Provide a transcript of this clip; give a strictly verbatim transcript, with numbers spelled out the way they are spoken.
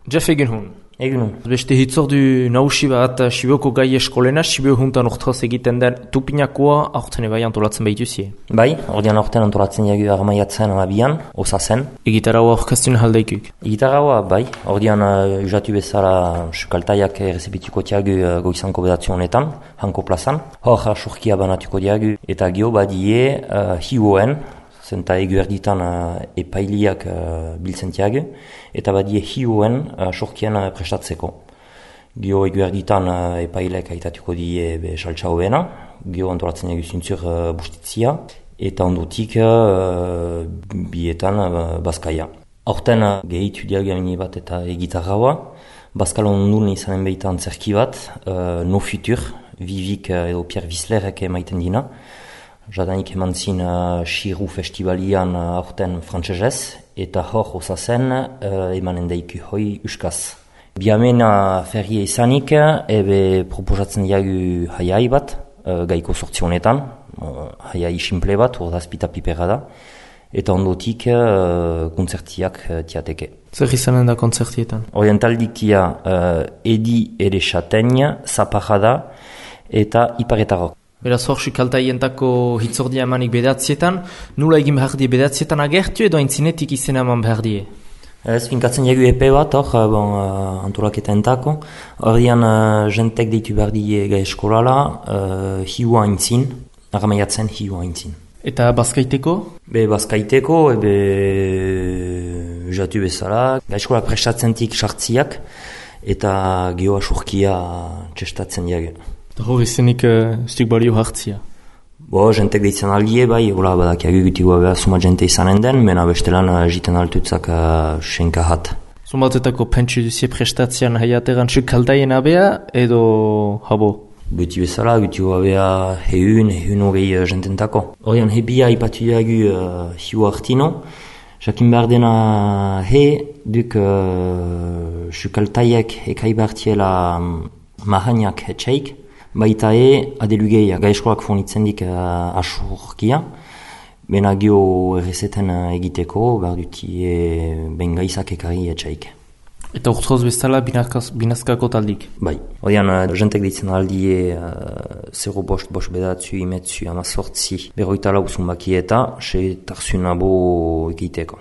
Jeff egin hun. Egin hun. Beste hitzordu nausi bat Sibioko gai eskolena, Sibio juntan urtraz egiten den tupinakoa aurten ebai antolatzen behituzie. Bai, ordean aurten antolatzen jagu armaiatzen alabian, osazen. Egitarraua orkestun haldeikuk. Egitarraua, bai, ordean uh, usatu bezala sukaltaiak errezibitiko tiagu uh, goizanko bedatzu honetan, hanko plazan. Hor surkia banatuko diagu eta gio badie uh, hiuoen, zenta egu erditan uh, epailiak uh, biltzen tiagu, eta badie hiuoen uh, surkien uh, prestatzeko. Gio egu erditan uh, epailek aitatuko die be saltsa hoena, gio antolatzen egu zintzur uh, bustitzia, eta ondotik uh, bietan uh, Bazkaia. Horten uh, gehitu diagu amini bat eta egitarraua, Bazkalon ondun izanen behitan zerki bat, uh, No Futur, Vivik uh, edo Pierre Wisslerek emaiten dina, jadanik eman zin uh, Xiru Festivalian uh, aurten frantsesez, eta hor osazen uh, emanen daiku hoi uskaz. Biamena ferrie izanik, ebe proposatzen diagu haiai bat, uh, gaiko sortzi honetan, uh, haiai simple bat, urdazpita pipera da, eta ondotik uh, kontzertiak uh, tiateke. Zer izanen da kontzertietan? Orientaldik tia uh, Edi ere Chategne, Zaparrada eta Iparetarok. Beraz hor sukaltaientako hitzordia emanik bedatzietan, nula egin behar die bedatzietan agertu edo aintzinetik izena eman behar die? Ez, finkatzen jagu epe bat, hor, bon, uh, antolaketa entako. Hordian, uh, jentek deitu behar die gai eskolala, uh, hiua aintzin, aramaiatzen hiua aintzin. Eta Bazkaiteko? Be, Bazkaiteko, ebe, jatu bezala, gai eskola prestatzentik sartziak, eta geoa surkia txestatzen jagu. Hor izenik uh, stik balio hartzia. Bo, jentek deitzen aldie, bai, hola badak jagu gutikoa behar suma jente izanen den, mena bestelan uh, jiten altutzak uh, senka hat. Zumatetako pentsu duzie prestatzean haiateran sukaltaien abea edo habo? Guti bezala, gutikoa behar heun, heun hogei uh, jententako. Horien hebia ipatu jagu uh, hiu hartino, jakin behar dena he, duk uh, sukaltaiek ekai behartiela um, mahaniak etxeik, baita e, adelugeia, gai eskolak fornitzen dik uh, asurkia, bena gio errezeten uh, egiteko, behar duti e, ben gaizak ekari etxaik. Eta urtroz bezala binazkako taldik? Bai. Odean, uh, jentek ditzen aldie uh, zero bost, bost bedatzu, imetzu, amazortzi, berroita lau zunbaki eta, se tarzunabo egiteko.